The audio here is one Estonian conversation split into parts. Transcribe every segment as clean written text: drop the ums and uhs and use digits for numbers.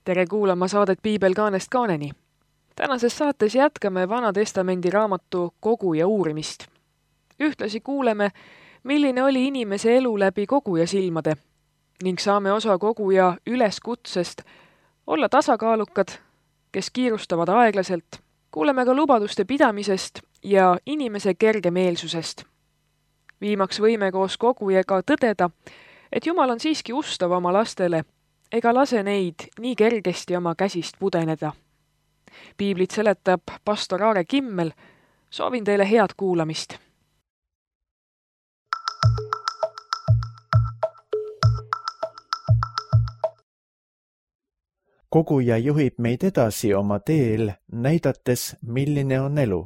Tere kuulama saadet Piibel kaanest kaaneni. Tänases saates jätkame Vana Testamendi raamatu Koguja uurimist. Ühtlasi kuuleme, milline oli inimese elu läbi koguja silmade ning saame osa koguja üleskutsest olla tasakaalukad, kes kiirustavad aeglaselt. Kuuleme ka lubaduste pidamisest ja inimese kergemeelsusest. Viimaks võime koos kogujaga tõdeda, et Jumal on siiski ustav oma lastele ega lase neid nii kergesti oma käsist pudeneda. Piiblit seletab pastor Aare Kimmel. Soovin teile head kuulamist. Koguja juhib meid edasi oma teel, näidates, milline on elu.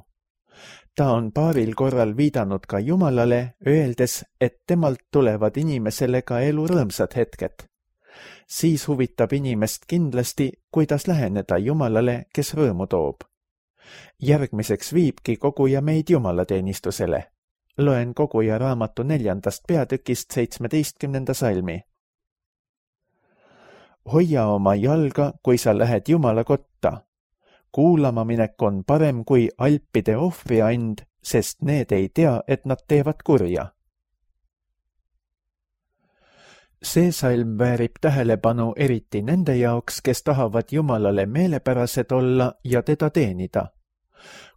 Ta on paaril korral viidanud ka Jumalale, öeldes, et temalt tulevad inimesele ka elu rõõmsad hetked. Siis huvitab inimest kindlasti, kuidas läheneda Jumalale, kes rõõmu toob. Järgmiseks viibki koguja meid jumalateenistusele. Loen koguja raamatu 4. peatükist 17. salmi. Hoia oma jalga, kui sa lähed Jumala kotta. Kuulama minek on parem kui alpide ohvriand, sest need ei tea, et nad teevad kurja. See salm väärib tähelepanu eriti nende jaoks, kes tahavad Jumalale meelepärased olla ja teda teenida.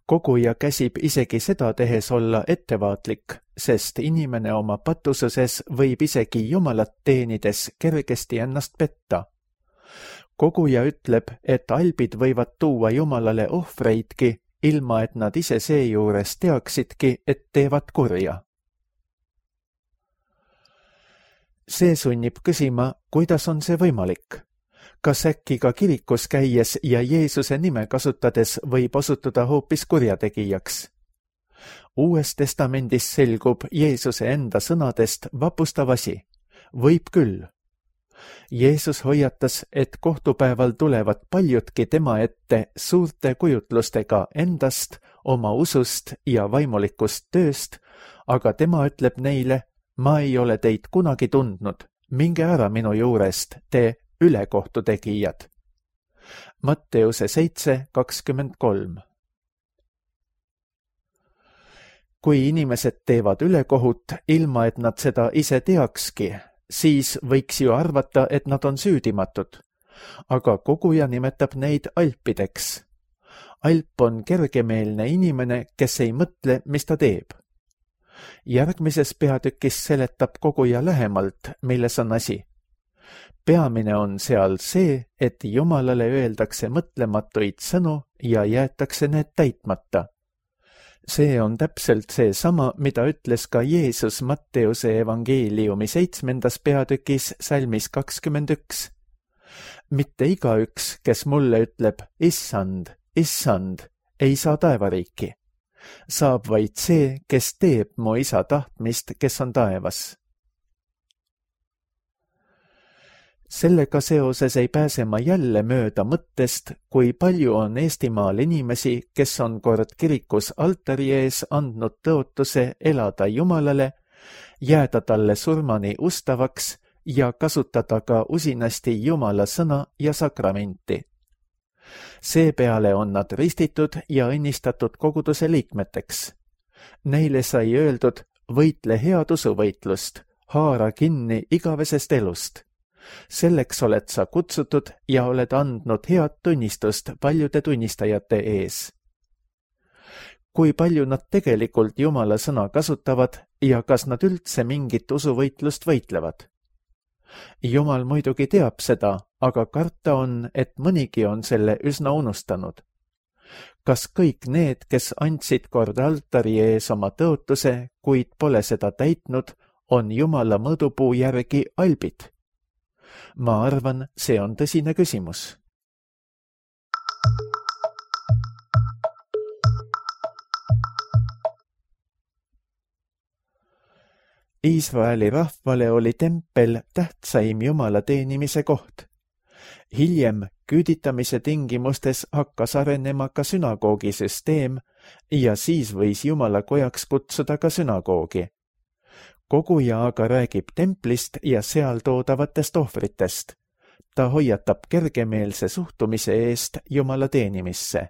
Koguja käsib isegi seda tehes olla ettevaatlik, sest inimene oma patususes võib isegi Jumalat teenides kergesti ennast petta. Koguja ütleb, et albid võivad tuua Jumalale ohvreidki, ilma et nad ise seejuures teaksidki, et teevad kurja. See sunnib küsima, kuidas on see võimalik? Kas äkki ka kirikus käies ja Jeesuse nime kasutades võib osutuda hoopis kurjategijaks? Uues testamendis selgub Jeesuse enda sõnadest vapustav asi. Võib küll. Jeesus hoiatas, et kohtupäeval tulevad paljudki tema ette suurte kujutlustega endast, oma usust ja vaimulikust tööst, aga tema ütleb neile, ma ei ole teid kunagi tundnud, minge ära minu juurest, te ülekohtutegijad. Matteuse 7:23. Kui inimesed teevad ülekohut, ilma et nad seda ise teakski, siis võiks ju arvata, et nad on süüdimatud. Aga koguja nimetab neid alpideks. Alp on kergemeelne inimene, kes ei mõtle, mis ta teeb. Järgmises peatükis seletab koguja lähemalt, milles on asi. Peamine on seal see, et Jumalale öeldakse mõtlematuid sõnu ja jäetakse need täitmata. See on täpselt see sama, mida ütles ka Jeesus Matteuse evangeeliumi 7. peatükis salmis 21. Mitte igaüks, kes mulle ütleb, issand, issand, ei saa taevariiki. Saab vaid see, kes teeb mu isa tahtmist, kes on taevas. Sellega seoses ei pääse ma jälle mööda mõttest, kui palju on Eestimaal inimesi, kes on kord kirikus altari ees andnud tõotuse elada Jumalale, jääda talle surmani ustavaks ja kasutada ka usinasti Jumala sõna ja sakramenti. Seepeale on nad ristitud ja õnnistatud koguduse liikmeteks. Neile sai öeldud, võitle head usuvõitlust, haara kinni igavesest elust. Selleks oled sa kutsutud ja oled andnud head tunnistust paljude tunnistajate ees. Kui palju nad tegelikult Jumala sõna kasutavad ja kas nad üldse mingit usuvõitlust võitlevad? Jumal muidugi teab seda, aga karta on, et mõnigi on selle üsna unustanud. Kas kõik need, kes andsid kord altari ees oma tõotuse, kuid pole seda täitnud, on Jumala mõõdupuu järgi albid? Ma arvan, see on tõsine küsimus. Iisraeli rahvale oli tempel tähtsaim Jumala teenimise koht. Hiljem küüditamise tingimustes hakkas arenema ka sünagoogisüsteem ja siis võis Jumala kojaks kutsuda ka sünagoogi. Koguja aga räägib templist ja seal toodavatest ohvritest. ta hoiatab kergemeelse suhtumise eest Jumala teenimisse.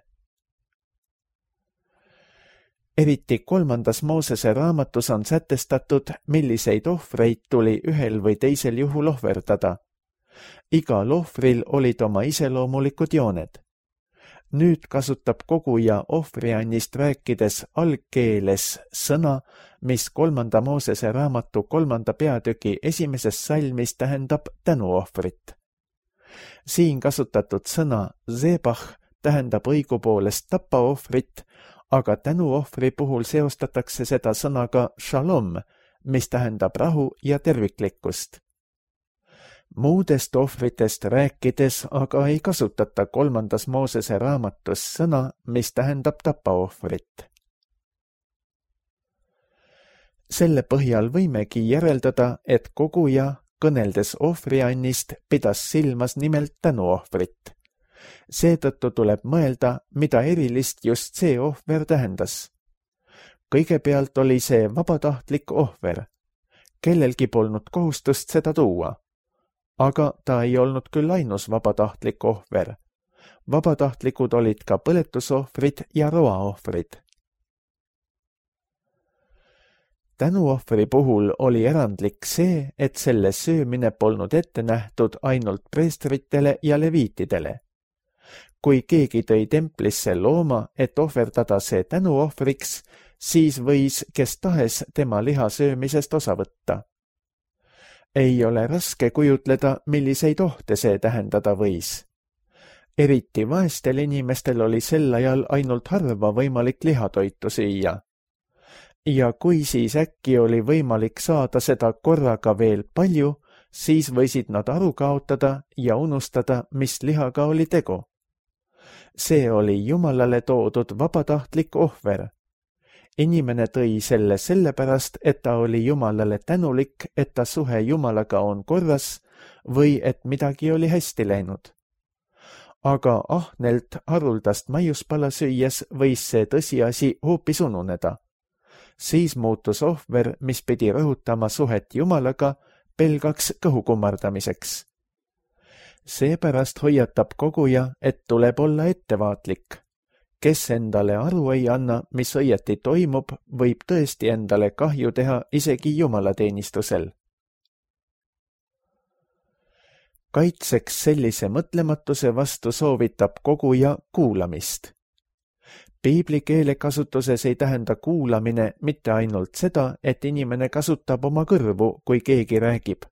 Eriti 3. Moosese raamatus on sätestatud, milliseid ohvreid tuli ühel või teisel juhul ohverdada. Igal ohvril olid oma iseloomulikud jooned. Nüüd kasutab koguja ohvriannist rääkides algkeeles sõna, mis 3. Moosese raamatu 3. peatüki 1. salmis tähendab tänuohvrit. Siin kasutatud sõna zebah tähendab õigupoolest tapaohvrit, aga tänuohvri puhul seostatakse seda sõnaga shalom, mis tähendab rahu ja terviklikkust. Muudest ohvritest rääkides aga ei kasutata 3. Moosese raamatus sõna, mis tähendab tapaohvrit. Selle põhjal võimegi järeldada, et koguja, kõneldes ohvriannist, pidas silmas nimelt tänuohvrit. Seetõttu tuleb mõelda, mida erilist just see ohver tähendas. Kõigepealt oli see vabatahtlik ohver. Kellelgi polnud kohustust seda tuua. Aga ta ei olnud küll ainus vabatahtlik ohver. Vabatahtlikud olid ka põletusohvrid ja roaohvrid. Tänuohvri puhul oli erandlik see, et selle söömine polnud ette nähtud ainult preestritele ja leviitidele. Kui keegi tõi templisse looma, et ohverdada see tänuohvriks, siis võis kes tahes tema liha söömisest osa võtta. Ei ole raske kujutleda, milliseid ohte see tähendada võis. Eriti vaestel inimestel oli sel ajal ainult harva võimalik lihatoitu süüa. Ja kui siis äkki oli võimalik saada seda korraga veel palju, siis võisid nad aru kaotada ja unustada, mis lihaga oli tegu. See oli Jumalale toodud vabatahtlik ohver. Inimene tõi selle sellepärast, et ta oli Jumalale tänulik, et ta suhe Jumalaga on korras või et midagi oli hästi läinud. Aga ahnelt haruldast maiuspala süües võis see tõsiasi hoopis ununeda. Siis muutus ohver, mis pidi rõhutama suhet Jumalaga, pelgaks kõhu kummardamiseks. Seepärast hoiatab koguja, et tuleb olla ettevaatlik. Kes endale aru ei anna, mis õieti toimub, võib tõesti endale kahju teha isegi jumalateenistusel. Kaitseks sellise mõtlematuse vastu soovitab koguja kuulamist. Piibli keelekasutuses ei tähenda kuulamine mitte ainult seda, et inimene kasutab oma kõrvu, kui keegi räägib,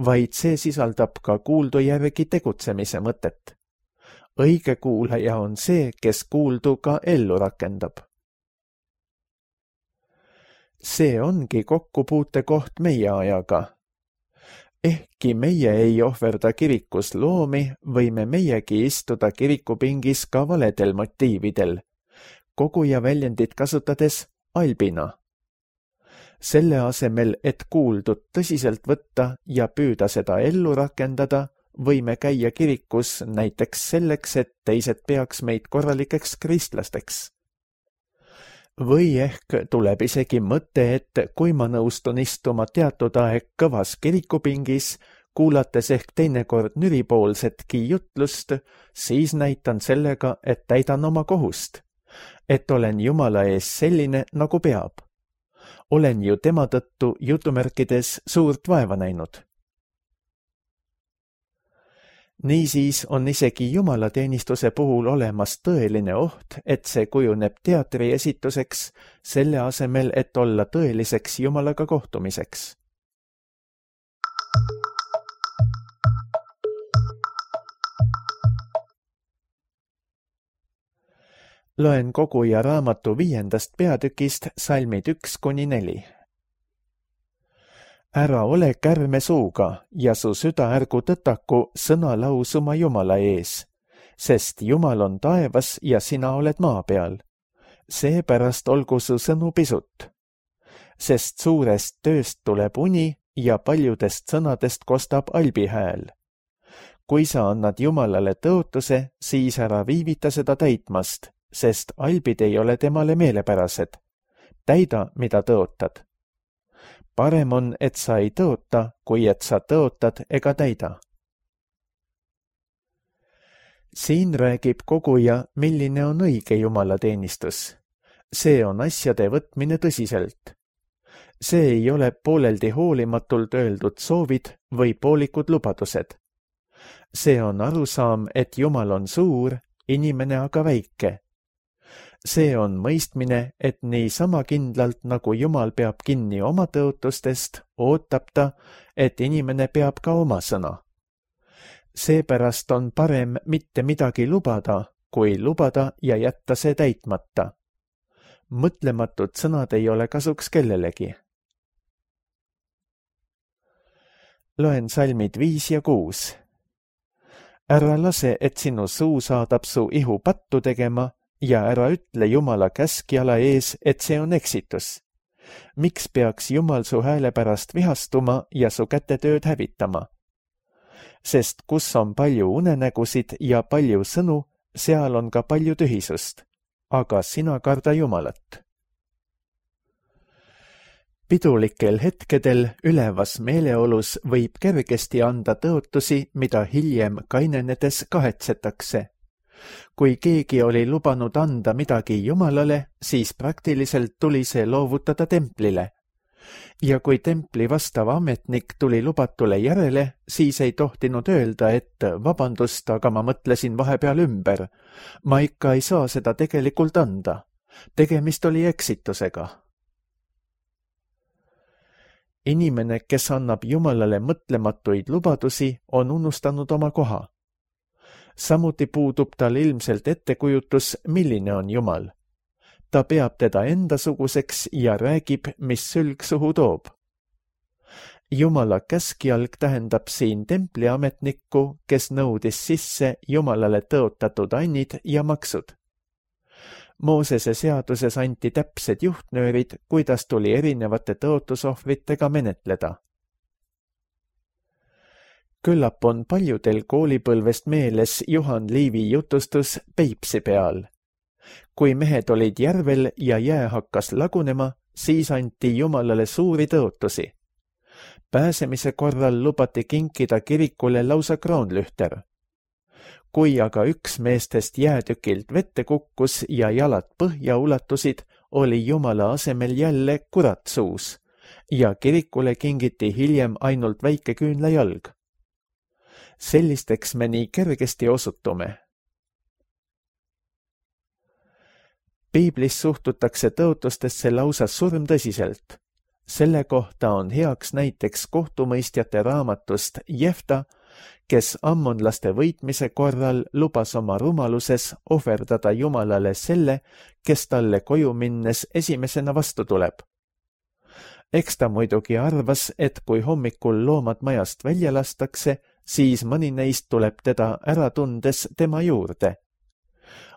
vaid see sisaldab ka kuuldu järgi tegutsemise mõtet. Õige kuulaja on see, kes kuuldu ka ellu rakendab. See ongi kokkupuutekoht meie ajaga. Ehkki meie ei ohverda kirikus loomi, võime meiegi istuda kirikupingis ka valedel motiividel, koguja väljendit kasutades albina. Selle asemel, et kuuldut tõsiselt võtta ja püüda seda ellu rakendada, võime käia kirikus näiteks selleks, et teised peaks meid korralikeks kristlasteks. Või ehk tuleb isegi mõte, et kui ma nõustun istuma teatud aeg kõvas kirikupingis, kuulates ehk teinekord nüripoolsetki jutlust, siis näitan sellega, et täidan oma kohust, et olen Jumala ees selline, nagu peab. Olen ju tema tõttu jutumärkides suurt vaeva näinud. Niisiis on isegi jumalateenistuse puhul olemas tõeline oht, et see kujuneb teatriesituseks, selle asemel, et olla tõeliseks Jumalaga kohtumiseks. Loen koguja raamatu 5. peatükist salmid 1-4. Ära ole kärme suuga ja su süda ärgu tõtaku sõna lausuma Jumala ees, sest Jumal on taevas ja sina oled maa peal. Seepärast olgu su sõnu pisut. Sest suurest tööst tuleb uni ja paljudest sõnadest kostab albi hääl. Kui sa annad Jumalale tõotuse, siis ära viivita seda täitmast, sest albid ei ole temale meelepärased. Täida, mida tõotad. Parem on, et sa ei tõota, kui et sa tõotad ega täida. siin räägib koguja, milline on õige jumalateenistus. See on asjade võtmine tõsiselt. See ei ole pooleldi hoolimatult öeldud soovid või poolikud lubadused. See on arusaam, et Jumal on suur, inimene aga väike. See on mõistmine, et nii sama kindlalt, nagu Jumal peab kinni oma tõotustest, ootab ta, et inimene peab ka oma sõna. Seepärast on parem mitte midagi lubada, kui lubada ja jätta see täitmata. Mõtlematud sõnad ei ole kasuks kellelegi. Loen salmid 5 ja 6. Ära lase, et sinu suu saadab su ihu pattu tegema ja ära ütle Jumala käskjala ees, et see on eksitus. Miks peaks Jumal su hääle pärast vihastuma ja su kätetööd hävitama? Sest kus on palju unenägusid ja palju sõnu, seal on ka palju tühisust. Aga sina karda Jumalat. Pidulikel hetkedel ülevas meeleolus võib kergesti anda tõotusi, mida hiljem kainenedes kahetsetakse. Kui keegi oli lubanud anda midagi Jumalale, siis praktiliselt tuli see loovutada templile. Ja kui templi vastav ametnik tuli lubatule järele, siis ei tohtinud öelda, et vabandust, aga ma mõtlesin vahepeal ümber. Ma ikka ei saa seda tegelikult anda. Tegemist oli eksitusega. Inimene, kes annab Jumalale mõtlematuid lubadusi, on unustanud oma koha. Samuti puudub tal ilmselt ettekujutus, milline on Jumal. Ta peab teda endasuguseks ja räägib, mis sülg suhu toob. Jumala käskjalg tähendab siin templiametnikku, kes nõudis sisse Jumalale tõotatud annid ja maksud. Moosese seaduses anti täpsed juhtnöörid, kuidas tuli erinevate tõotusohvritega menetleda. Küllap on paljudel koolipõlvest meeles Juhan Liivi jutustus Peipsi peal. Kui mehed olid järvel ja jää hakkas lagunema, siis anti Jumalale suuri tõotusi. Pääsemise korral lubati kinkida kirikule lausa kroonlühter. Kui aga üks meestest jäätükilt vette kukkus ja jalad põhja ulatusid, oli Jumala asemel jälle kurat suus ja kirikule kingiti hiljem ainult väike küünlajalg. Sellisteks me nii kergesti osutume. Piiblis suhtutakse tõotustesse lausa surmtõsiselt. Selle kohta on heaks näiteks kohtumõistjate raamatust Jefta, kes ammonlaste võitmise korral lubas oma rumaluses ohverdada Jumalale selle, kes talle koju minnes esimesena vastu tuleb. Eks ta muidugi arvas, et kui hommikul loomad majast välja lastakse, siis mõni neist tuleb teda ära tundes tema juurde.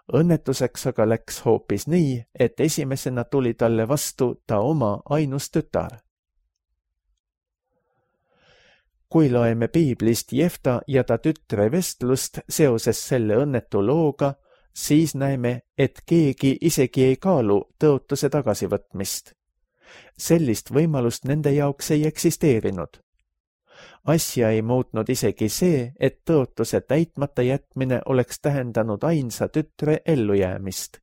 Õnnetuseks aga läks hoopis nii, et esimesena tuli talle vastu ta oma ainus tütar. Kui loeme Piiblist Jefta ja ta tütre vestlust seoses selle õnnetu looga, siis näeme, et keegi isegi ei kaalu tõotuse tagasivõtmist. Sellist võimalust nende jaoks ei eksisteerinud. Asja ei muutnud isegi see, et tõotuse täitmata jätmine oleks tähendanud ainsa tütre ellujäämist.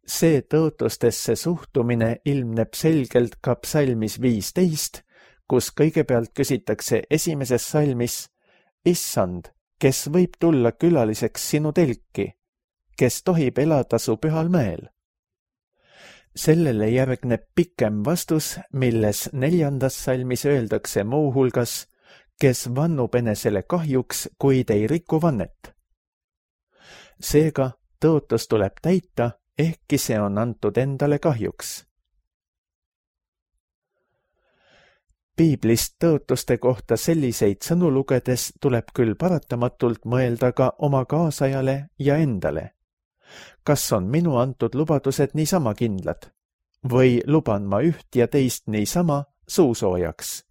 See tõotustesse suhtumine ilmneb selgelt ka psalmis 15, kus kõigepealt küsitakse esimeses salmis: Issand, kes võib tulla külaliseks sinu telki, kes tohib elada su pühal mäel? Sellele järgneb pikem vastus, milles 4. salmis öeldakse muuhulgas, kes vannub enesele kahjuks, kuid ei riku vannet. Seega tõotus tuleb täita, ehkki see on antud endale kahjuks. Piiblist tõotuste kohta selliseid sõnu lugedes tuleb küll paratamatult mõelda ka oma kaasajale ja endale. Kas on minu antud lubadused niisama kindlad? Või luban ma üht ja teist niisama suusoojaks?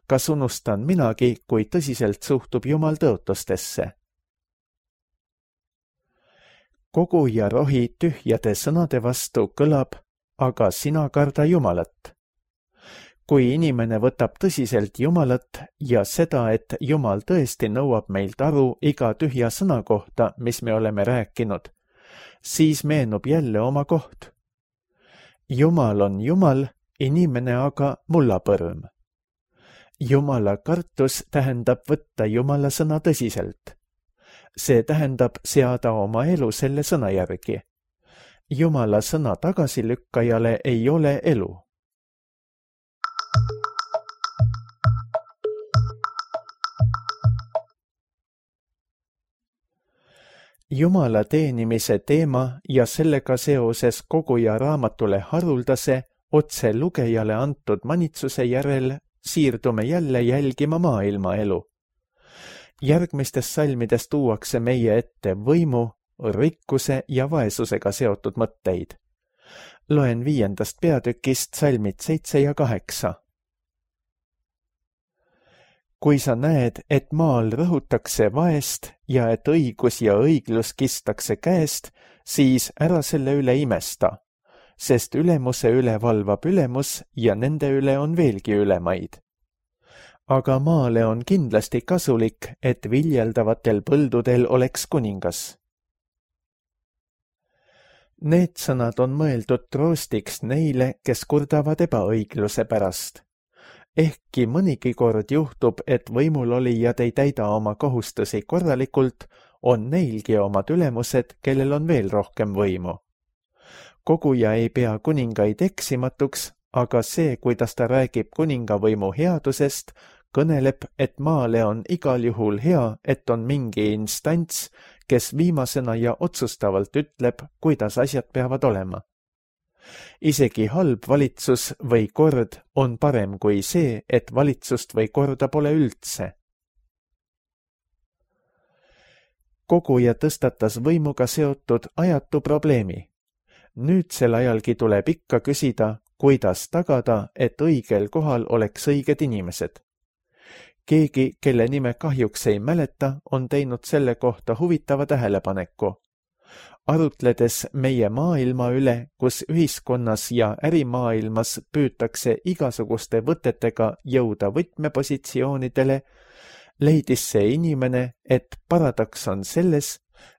Kas unustan minagi, kui tõsiselt suhtub Jumal tõotustesse? Kogu ja rohi tühjade sõnade vastu kõlab, aga sina karda Jumalat. kui inimene võtab tõsiselt Jumalat ja seda, et Jumal tõesti nõuab meilt aru iga tühja sõna kohta, mis me oleme rääkinud, siis meenub jälle oma koht. Jumal on Jumal, inimene aga mullapõrm. Jumala kartus tähendab võtta Jumala sõna tõsiselt. See tähendab seada oma elu selle sõna järgi. Jumala sõna tagasilükkajale ei ole elu. Jumala teenimise teema ja sellega seoses koguja raamatule haruldase, otse lugejale antud manitsuse järel siirdume jälle jälgima maailma elu. Järgmistes salmides tuuakse meie ette võimu, rikkuse ja vaesusega seotud mõtteid. Loen 5. peatükist salmid 7 ja 8. Kui sa näed, et maal rõhutakse vaest ja et õigus ja õiglus kistakse käest, siis ära selle üle imesta, sest ülemuse üle valvab ülemus ja nende üle on veelgi ülemaid. Aga maale on kindlasti kasulik, et viljeldavatel põldudel oleks kuningas. Need sõnad on mõeldud troostiks neile, kes kurdavad ebaõigluse pärast. Ehkki mõnigi kord juhtub, et võimulolijad ei täida oma kohustusi korralikult, on neilgi omad ülemused, kellel on veel rohkem võimu. Koguja ei pea kuningaid eksimatuks, aga see, kuidas ta räägib kuningavõimu headusest, kõneleb, et maale on igal juhul hea, et on mingi instants, kes viimasena ja otsustavalt ütleb, kuidas asjad peavad olema. Isegi halb valitsus või kord on parem kui see, et valitsust või korda pole üldse. Koguja tõstatas võimuga seotud ajatu probleemi. Nüüdsel ajalgi tuleb ikka küsida, kuidas tagada, et õigel kohal oleks õiged inimesed. Keegi, kelle nime kahjuks ei mäleta, on teinud selle kohta huvitava tähelepaneku. Arutledes meie maailma üle, kus ühiskonnas ja ärimaailmas püütakse igasuguste võtetega jõuda võtmepositsioonidele, leidis see inimene, et paradoks on selles,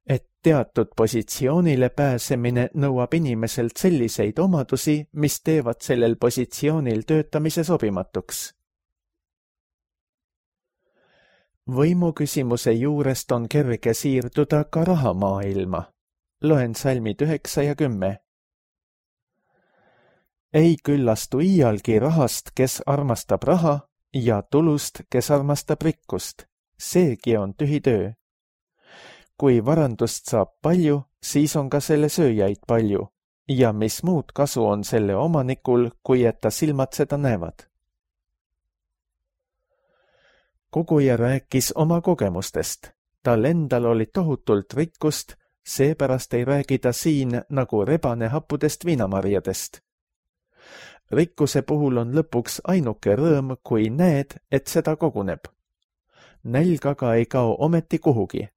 et teatud positsioonile pääsemine nõuab inimeselt selliseid omadusi, mis teevad sellel positsioonil töötamise sobimatuks. Võimuküsimuse juurest on kerge siirduda ka rahamaailma. Loen salmid 9 ja 10. Ei küllastu iialgi rahast, kes armastab raha, ja tulust, kes armastab rikkust. Seegi on tühi töö. Kui varandust saab palju, siis on ka selle sööjaid palju. Ja mis muud kasu on selle omanikul, kui et ta silmad seda näevad? Koguja rääkis oma kogemustest. Tal endal oli tohutult rikkust, seepärast ei räägi ta siin nagu rebane happudest viinamarjadest. Rikkuse puhul on lõpuks ainuke rõõm, kui näed, et seda koguneb. Nälg aga ei kao ometi kuhugi.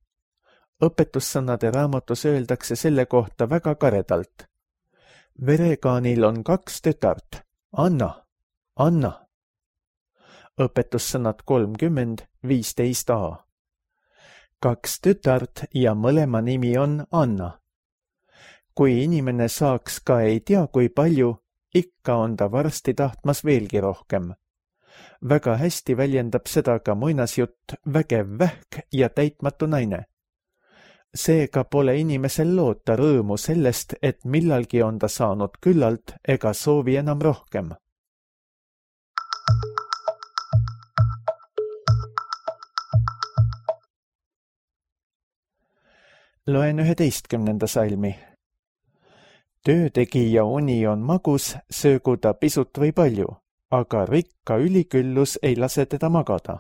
Õpetussõnade raamatus öeldakse selle kohta väga karedalt. Verekaanil on 2 tütart. Anna, anna. Õpetussõnad 30:15a. 2 tütart ja mõlema nimi on Anna. Kui inimene saaks ka ei tea kui palju, ikka on ta varsti tahtmas veelgi rohkem. Väga hästi väljendab seda ka muinasjutt Vägev vähk ja täitmatu naine. Seega pole inimesel loota rõõmu sellest, et millalgi on ta saanud küllalt ega soovi enam rohkem. Loen 11. salmi. Töötegija uni on magus, söögu ta pisut või palju, aga rikka üliküllus ei lase teda magada.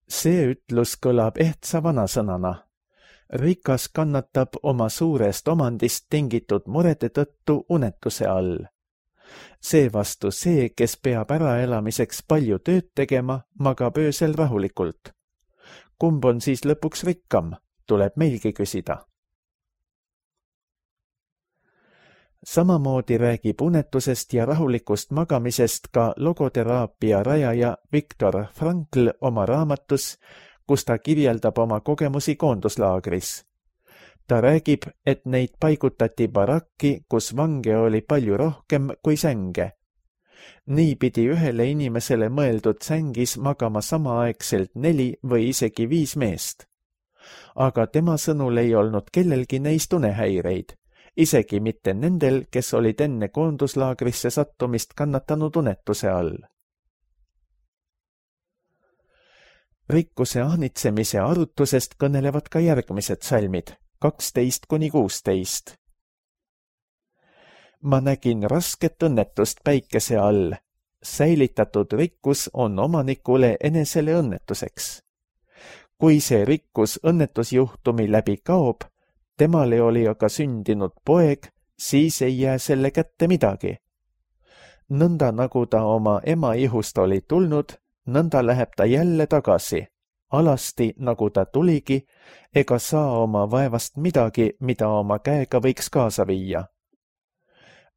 See ütlus kõlab ehtsa vanasõnana. Rikas kannatab oma suurest omandist tingitud murede tõttu unetuse all. Seevastu see, kes peab äraelamiseks palju tööd tegema, magab öösel rahulikult. Kumb on siis lõpuks rikkam, tuleb meilgi küsida. Samamoodi räägib unetusest ja rahulikust magamisest ka logoteraapia rajaja Viktor Frankl oma raamatus, kus ta kirjeldab oma kogemusi koonduslaagris. Ta räägib, et neid paigutati barakki, kus vange oli palju rohkem kui sänge. Nii pidi ühele inimesele mõeldud sängis magama samaaegselt 4 või isegi 5 meest. Aga tema sõnul ei olnud kellelgi neist unehäireid, isegi mitte nendel, kes olid enne koonduslaagrisse sattumist kannatanud unetuse all. Rikkuse ahnitsemise arutusest kõnelevad ka järgmised salmid, 12-16. Ma nägin rasket õnnetust päikese all. Säilitatud rikkus on omanikule enesele õnnetuseks. Kui see rikkus õnnetusjuhtumi läbi kaob, temale oli aga sündinud poeg, siis ei jää selle kätte midagi. Nõnda nagu ta oma ema ihust oli tulnud, nõnda läheb ta jälle tagasi. Alasti, nagu ta tuligi, ega saa oma vaevast midagi, mida oma käega võiks kaasa viia.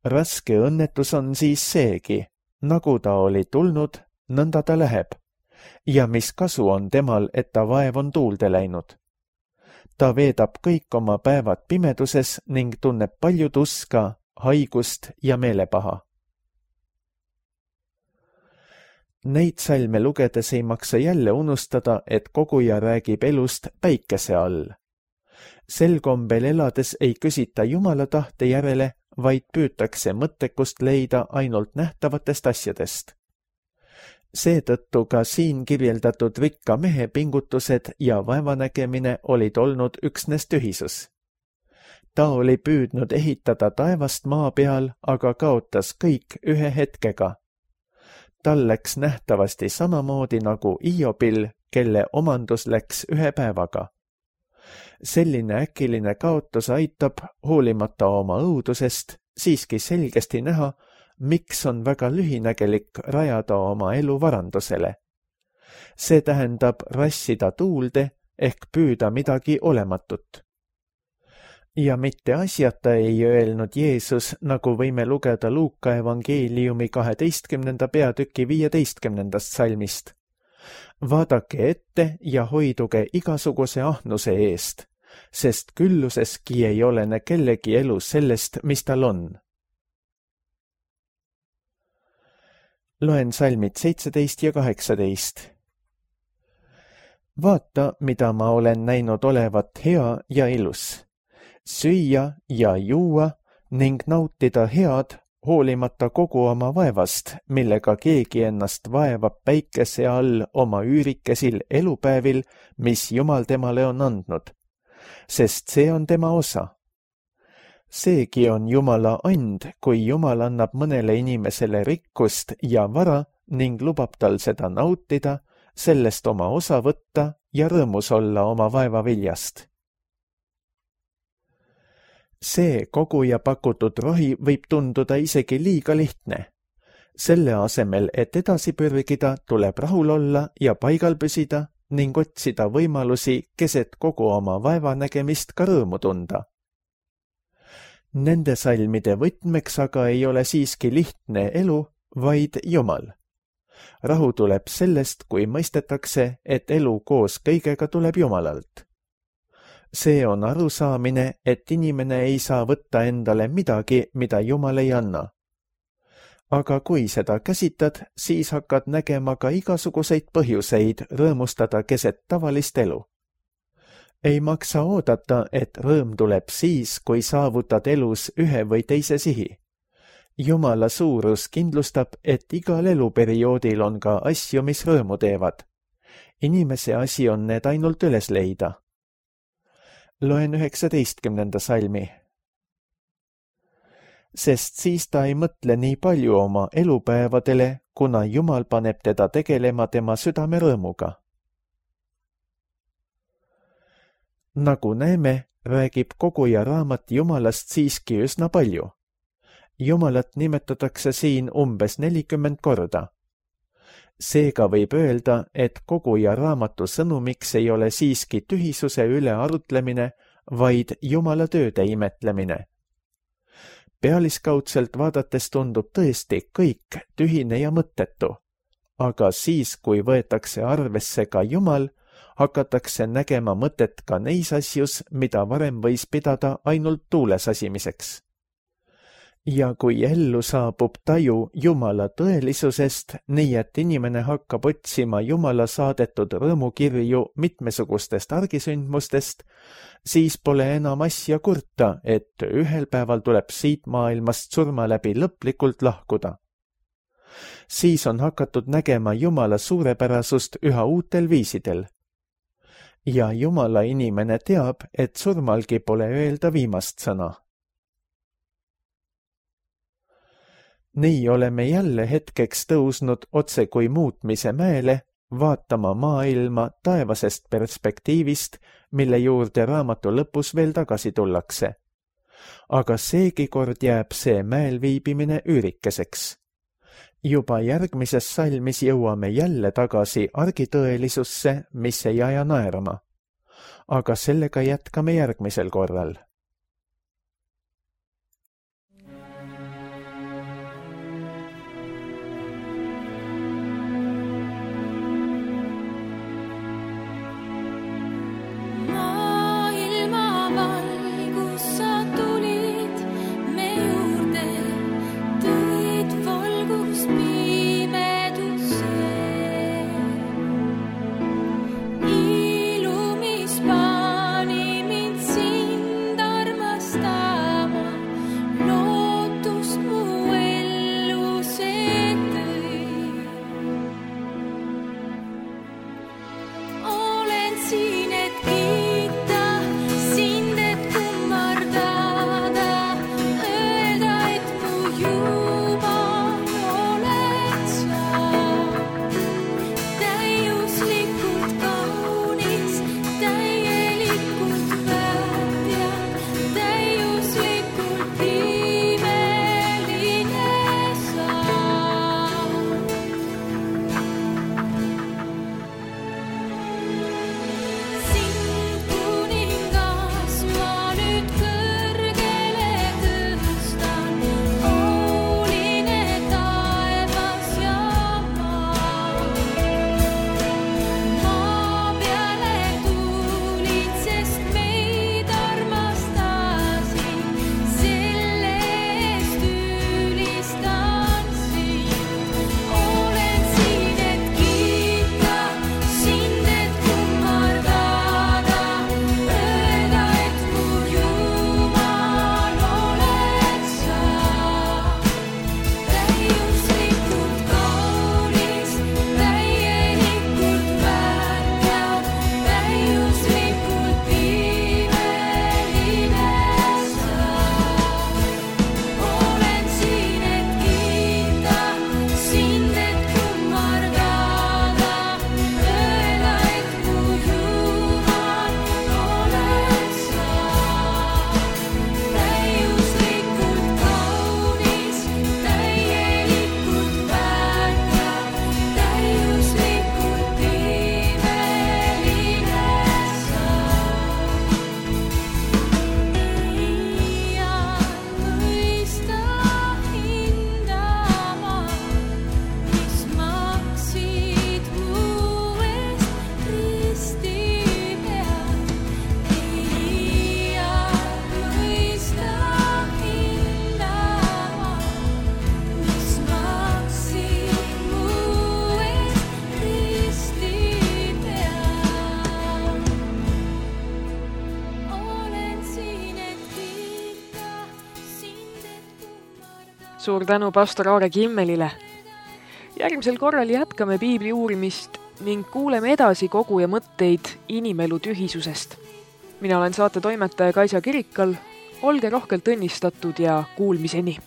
Raske õnnetus on siis seegi, nagu ta oli tulnud, nõnda ta läheb. Ja mis kasu on temal, et ta vaev on tuulde läinud? Ta veedab kõik oma päevad pimeduses ning tunneb palju tuska, haigust ja meelepaha. Neid salme lugedes ei maksa jälle unustada, et koguja räägib elust päikese all. Sel kombel elades ei küsita Jumala tahte järele, vaid püütakse mõttekust leida ainult nähtavatest asjadest. Seetõttu ka siin kirjeldatud rikka mehe pingutused ja vaevanägemine olid olnud üksnes tühisus. Ta oli püüdnud ehitada taevast maa peal, aga kaotas kõik ühe hetkega. Tal läks nähtavasti samamoodi nagu Iobil, kelle omandus läks ühe päevaga. Selline äkiline kaotus aitab, hoolimata oma õudusest, siiski selgesti näha, miks on väga lühinägelik rajada oma elu varandusele. See tähendab rassida tuulde ehk püüda midagi olematut. Ja mitte asjata ei öelnud Jeesus, nagu võime lugeda Luuka evangeeliumi 12. peatüki 15. salmist. Vaadake ette ja hoiduge igasuguse ahnuse eest, sest külluseski ei olene kellegi elu sellest, mis tal on. Loen salmid 17 ja 18. Vaata, mida ma olen näinud olevat hea ja ilus. Süüa ja juua ning nautida head, hoolimata kogu oma vaevast, millega keegi ennast vaevab päikese all oma üürikesil elupäevil, mis Jumal temale on andnud, sest see on tema osa. Seegi on Jumala and, kui Jumal annab mõnele inimesele rikkust ja vara ning lubab tal seda nautida, sellest oma osa võtta ja rõõmus olla oma vaeva viljast. See koguja pakutud rohi võib tunduda isegi liiga lihtne. Selle asemel, et edasi pürgida, tuleb rahul olla ja paigal püsida ning otsida võimalusi keset kogu oma vaevanägemist ka rõõmu tunda. Nende salmide võtmeks aga ei ole siiski lihtne elu, vaid Jumal. Rahu tuleb sellest, kui mõistetakse, et elu koos kõigega tuleb Jumalalt. See on arusaamine, et inimene ei saa võtta endale midagi, mida Jumal ei anna. Aga kui seda käsitad, siis hakkad nägema ka igasuguseid põhjuseid rõõmustada keset tavalist elu. Ei maksa oodata, et rõõm tuleb siis, kui saavutad elus ühe või teise sihi. Jumala suurus kindlustab, et igal eluperioodil on ka asju, mis rõõmu teevad. Inimese asi on need ainult üles leida. Loen 19. salmi. Sest siis ta ei mõtle nii palju oma elupäevadele, kuna Jumal paneb teda tegelema tema südame rõõmuga. Nagu näeme, räägib koguja raamat Jumalast siiski üsna palju. Jumalat nimetatakse siin umbes 40 korda. Seega võib öelda, et koguja raamatu sõnumiks ei ole siiski tühisuse üle arutlemine, vaid Jumala tööde imetlemine. pealiskaudselt vaadates tundub tõesti kõik tühine ja mõttetu, aga siis, kui võetakse arvesse ka Jumal, hakatakse nägema mõtet ka neis asjus, mida varem võis pidada ainult tuule sasimiseks. Ja kui ellu saabub taju Jumala tõelisusest, nii et inimene hakkab otsima Jumala saadetud rõõmukirju mitmesugustest argisündmustest, siis pole enam asja kurta, et ühel päeval tuleb siit maailmast surma läbi lõplikult lahkuda. Siis on hakatud nägema Jumala suurepärasust üha uutel viisidel. Ja Jumala inimene teab, et surmalgi pole öelda viimast sõna. Nii oleme jälle hetkeks tõusnud otse kui muutmise mäele, vaatama maailma taevasest perspektiivist, mille juurde raamatu lõpus veel tagasi tullakse. Aga seegi kord jääb see mäel viibimine üürikeseks. Juba järgmises salmis jõuame jälle tagasi argitõelisusse, mis ei aja naerma. Aga sellega jätkame järgmisel korral. Suur tänu pastor Aare Kimmelile. Järgmisel korral jätkame piibli uurimist ning kuuleme edasi koguja mõtteid inimelu tühisusest. Mina olen saate toimetaja Kaisa Kirikal. Olge rohkelt õnnistatud ja kuulmiseni!